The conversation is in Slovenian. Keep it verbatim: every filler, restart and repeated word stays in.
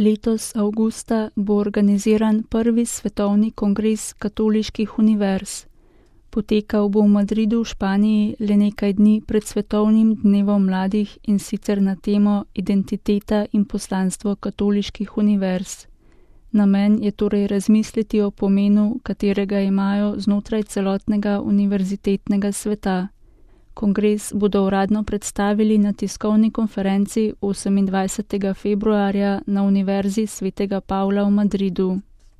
Letos avgusta bo organiziran prvi svetovni kongres katoliških univerz. Potekal bo v Madridu v Španiji le nekaj dni pred svetovnim dnevom mladih, in sicer na temo Identiteta in poslanstvo katoliških univerz. Namen je torej razmisliti o pomenu, katerega imajo znotraj celotnega univerzitetnega sveta. Kongres bodo uradno predstavili na tiskovni konferenci osemindvajsetega februarja na Univerzi svetega Pavla v Madridu.